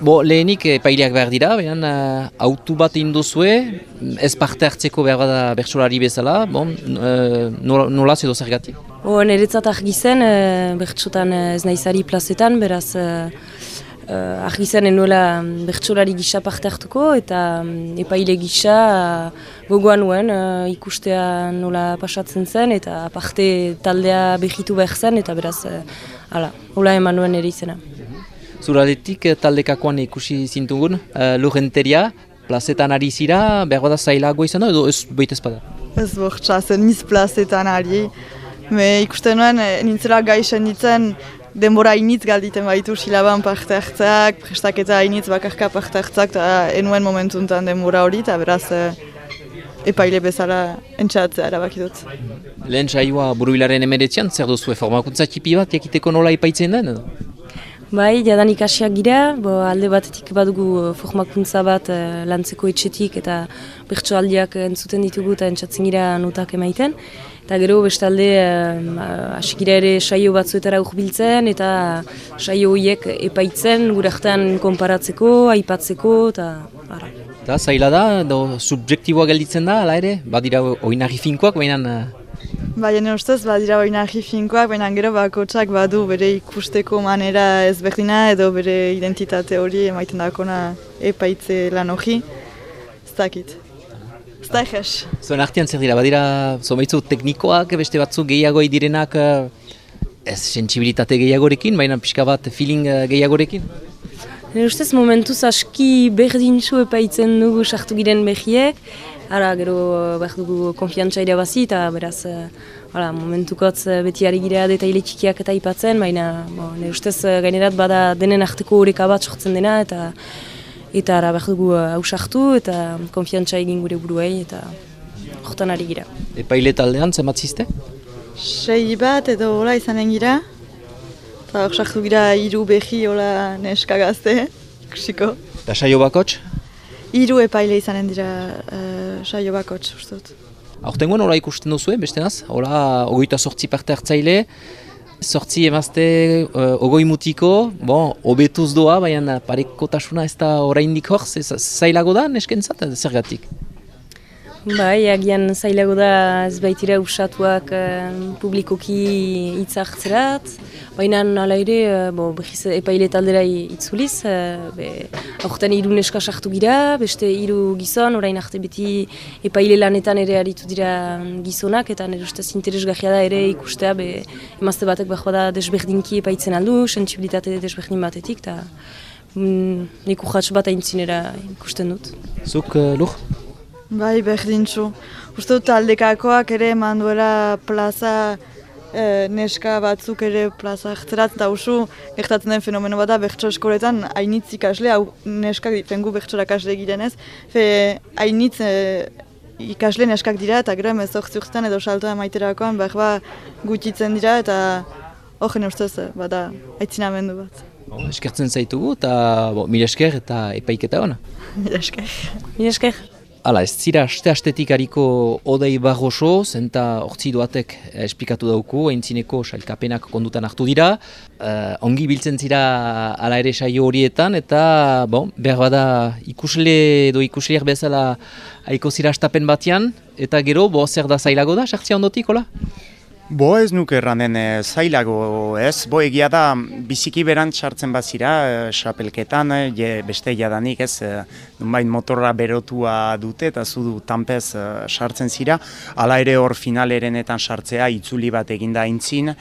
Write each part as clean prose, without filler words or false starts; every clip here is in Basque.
Lehenik epaileak behar dira, baina autu bat induzue, ez parte hartzeko behar bada bertsolari bezala, nolaz edo zergatik? Niretzat argi zen, bertsotan ez naizari plazetan, beraz argi zen enuela bertsolari gisa parte hartuko, eta epaile gisa gogoan nuen ikustea nola pasatzen zen, eta parte taldea behitu behar zen, eta beraz, hola eman nuen ere izena. Zuraletik taldekakoan ikusi zintugun, Lurenteria, plazetan ari zira, behar bada zailago izan da, edo ez baita ezpada? Ez bortxa, zen niz plazetan ari. Ikusten nuen, nintzela gaixen ditzen, denbora hainitz galditen baitu silaban parte hartzeak, prestaketa hainitz bakarka parte hartzeak, eta enuen momentuntan denbora hori, eta beraz epaile bezala entxatzea erabaki dut. Lehen saioa Burubilaren 19 zer duzue, formakuntza txipi bat, jakiteko nola ipaitzen den, edo? Bai, jadanik hasiak gira, alde batetik badugu formakuntza bat lantzeko etxetik eta bertsoaldiak entzuten ditugu eta entzatzen gira notak emaiten. Eta gero bestalde hasi gira ere saio batzuetara urbiltzen eta saio horiek epaitzen gure artean konparatzeko, aipatzeko eta ara. Eta zaila da, subjektiboa gelditzen da, ala ere? Badira oinarri finkoak, baina... Baina ustez, badira oinarri finkoak, baina gero bakotsak badu bere ikusteko manera ezberdina edo bere identitate hori emaiten dakona epaitze lan hori. Ez dakit. Ez da egez. Zuen artean zer dira, badira zomaitzu teknikoak, beste batzu gehiago direnak ez sentsibilitate gehiagorekin, baina pixka bat feeling gehiagorekin? Nire ustez momentuz aski berdintzu epaitzen dugu sartu giren behiek, gero behar dugu konfiantza irabazi eta beraz momentukotz beti ari gira detaile txikiak eta aipatzen, baina nire ustez gainerat bada denen arteko horeka bat sortzen dena eta behar dugu hausartu eta konfiantza egin gure buruei eta hortan ari gira. Epaile taldean zenbat ziste? 6 bat edo hola izanen gira. Eta sartu gira 3 behi hola neska gazte, ikusiko. Eta saio bakots? 3 epaile izanen dira saio bakots, ustot. Aurtengoan hola ikusten duzue, bestenaz? Hola 28 parte hartzaile, 8 emazte, 20 mutiko, hobetuz doa, baina parekotasuna ez da oraindik hor, zailago da neskentzat, zergatik? Bai, agian zailago da ez baitira usatuak publikoki hitz hartzerat, baina hala ere epaile taldera itzuliz, aurten 3 neska sartu gira, beste 3 gizon, orain arte beti epaile lanetan ere aritu dira gizonak, eta nire ustez interesgarria da ere ikustea emazte batek behar da desberdinki epaitzen aldu, sentsibilitate desberdin batetik, eta nik urratx bat aintzinera ikusten dut. Zuk, Lur? Bai, berdintzu. Uste dut taldekakoak ere eman duela plaza neska batzuk ere plaza hartzerat, eta usu gertatzen den fenomeno bat da bertso eskoletan hainitz ikasle, hau neskak fengu bertsorak kasle girenez, hainitz ikasle neskak dira eta gero 18 urtean edo saltoa maiterakoan gutitzen dira eta horren ustez bada aitzinamendu bat. Eskertzen zaitugu eta mila esker eta epaiketa hona. Mila esker. Mila esker. Hala, ez zira aste-astetik hariko Odei Barroso, zenta hortzi doatek esplikatu dauku, aintzineko sailkapenak kondutan hartu dira. Ongi biltzen zira ala ere saio horietan, eta behar bada ikusle edo ikusleak bezala haiko zira astapen batean, eta gero, zer da zailago da, sartzea ondotik, hola? Ez nuke erranen zailago, ez? Egia da, biziki berant sartzen bazira, xapelketan, beste jadanik, ez? Nunbait motorra berotua dute eta zudu tanpez sartzen zira. Hala ere hor finalerenetan sartzea, itzuli bat eginda aintzin,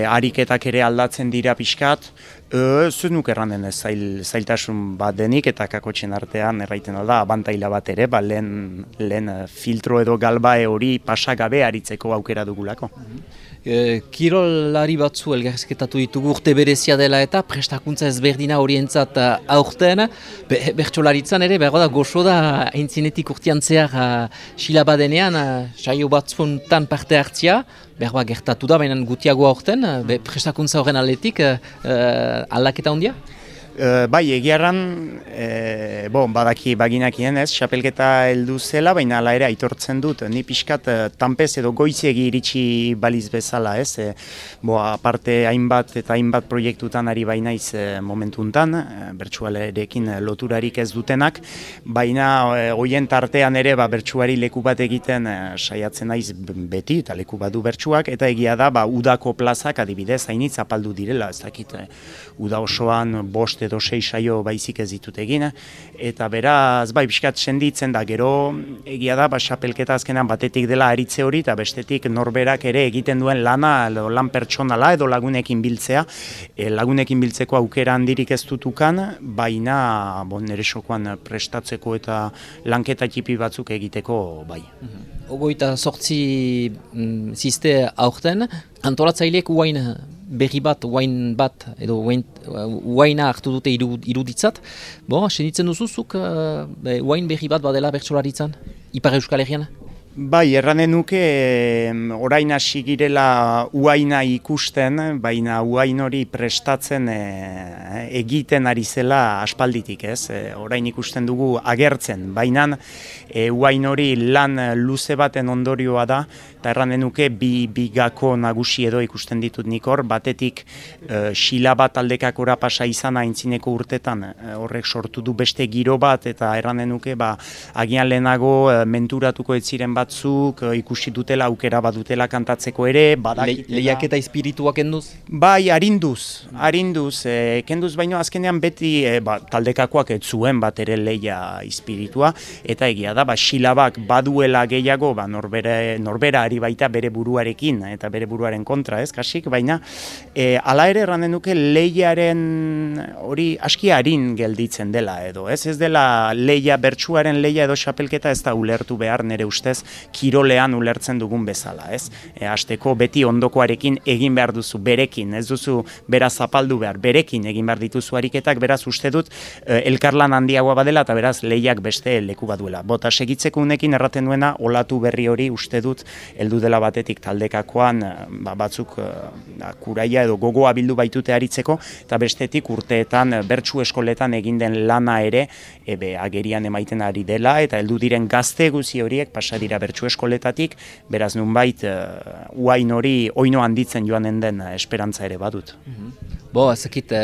ariketak ere aldatzen dira pixkat. Ez nuke erranen zailtasun bat denik eta kakotxen artean erraiten alda, abantaila bat ere, lehen filtro edo galbae hori pasagabe aritzeko aukera dugulako. Kirolari batzu elgarrizketatu ditugu urte berezia dela eta prestakuntza ezberdina horientzat aurten, bertsolaritzan ere, behar da goxo da aintzinetik urtean zehar silabadenean, saio batzuntan parte hartzia, behar gertatu da, baina gutiago aurten, prestakuntza horren aldetik aldaketa hondia? Bai, egiarran, badaki baginakien ez, xapelketa heldu zela, baina hala ere aitortzen dut, ni pixkat tanpez edo goizegi iritsi baliz bezala ez, aparte hainbat eta hainbat proiektutan ari bainaiz momentuntan, bertsualerekin loturarik ez dutenak, baina hoien tartean ere bertsuari leku bat egiten saiatzen naiz beti, eta leku bat du bertsuak, eta egia da, udako plazak adibidez hainitz apaldu direla, ez dakit, uda osoan 5 edo 6 saio baizik ez ditut egin, eta beraz, pixkat senditzen da, gero egia da, xapelketa azkenan batetik dela aritze hori, eta bestetik norberak ere egiten duen lana, lan pertsonala edo lagunekin biltzea, lagunekin biltzeko aukera handirik ez dutukan, baina nire sokoan prestatzeko eta lanketa txipi batzuk egiteko bai. 28 ziste aurten, antolatzaileek uain berri bat, uain bat, edo uaina hartu dute iruditzat. Senditzen duzuzuk uain berri bat badela bertsolaritzan, Ipar Euskal Herrian? Bai, erranen nuke orain hasi girela uaina ikusten, baina uain hori prestatzen egiten ari zela aspalditik, ez? Orain ikusten dugu agertzen, baina uain hori lan luze baten ondorioa da, eta erranen nuke bi gako nagusi edo ikusten ditut nik hor, batetik xila bat aldekakora pasa izan aintzineko urtetan, horrek sortu du beste giro bat, eta erranen nuke agian lehenago menturatuko ez ziren batzuk, ikusi dutela aukera badutela kantatzeko ere, badakitela. Lehiak eta espirituak kenduz? Bai, arinduz, kenduz baino azkenean beti taldekakoak ez zuen bat ere lehia espiritua, eta egia da, xilabak baduela gehiago, norbera ari baita bere buruarekin, eta bere buruaren kontra, ez, kasik, baina hala ere erranen duke lehiaren hori aski arin gelditzen dela edo, ez dela lehia, bertsuaren lehia edo xapelketa ez da ulertu behar nire ustez kirolean ulertzen dugun bezala, ez? Hasteko beti ondokoarekin egin behar duzu, berekin, ez duzu beraz zapaldu behar, berekin egin behar dituzu ariketak, beraz uste dut elkarlan handiagoa badela eta beraz lehiak beste leku baduela. Bota segitzeko unekin erraten duena, olatu berri hori uste dut heldu dela batetik taldekakoan batzuk kuraia edo gogoa bildu baitute aritzeko, eta bestetik urteetan bertsu eskoletan egin den lana ere agerian emaiten ari dela, eta heldu diren gazte guzi horiek pasa dira bertsu eskoletatik, beraz nunbait uain hori oino handitzen joanen den esperantza ere badut. Ezakit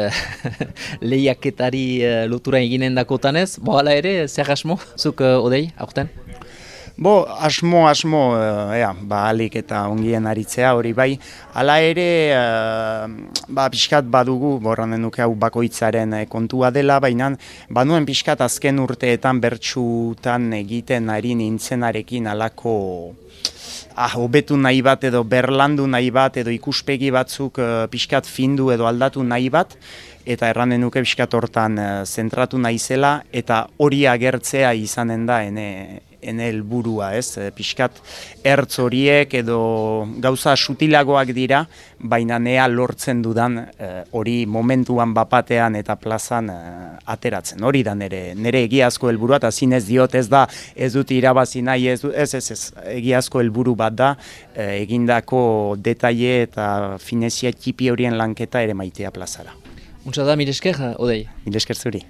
lehiaketari lotura eginen dakotanez, hala ere, zer asmo, zuk Odei, aurten? Asmo, alik eta ongien aritzea hori bai, hala ere, pixkat badugu, borranen nuke hau bakoitzaren kontua dela, baina banuen pixkat azken urteetan bertsutan egiten ari nintzenarekin alako hobetu nahi bat edo berlandu nahi bat edo ikuspegi batzuk pixkat findu edo aldatu nahi bat, eta erranen nuke pixkat hortan zentratu naizela, eta hori agertzea izanen da ene helburua, ez? Pixkat ertz horiek edo gauza sutilagoak dira, baina nea lortzen dudan hori momentuan bapatean eta plazan ateratzen. Hori da nire egiazko helburua, eta zinez diot ez da, ez dut irabazi nahi, ez egiazko helburu bat da, egindako detaile eta finezia txipi horien lanketa ere maitea plazara. Muntza da, mire esker, Odei? Mire esker zuri.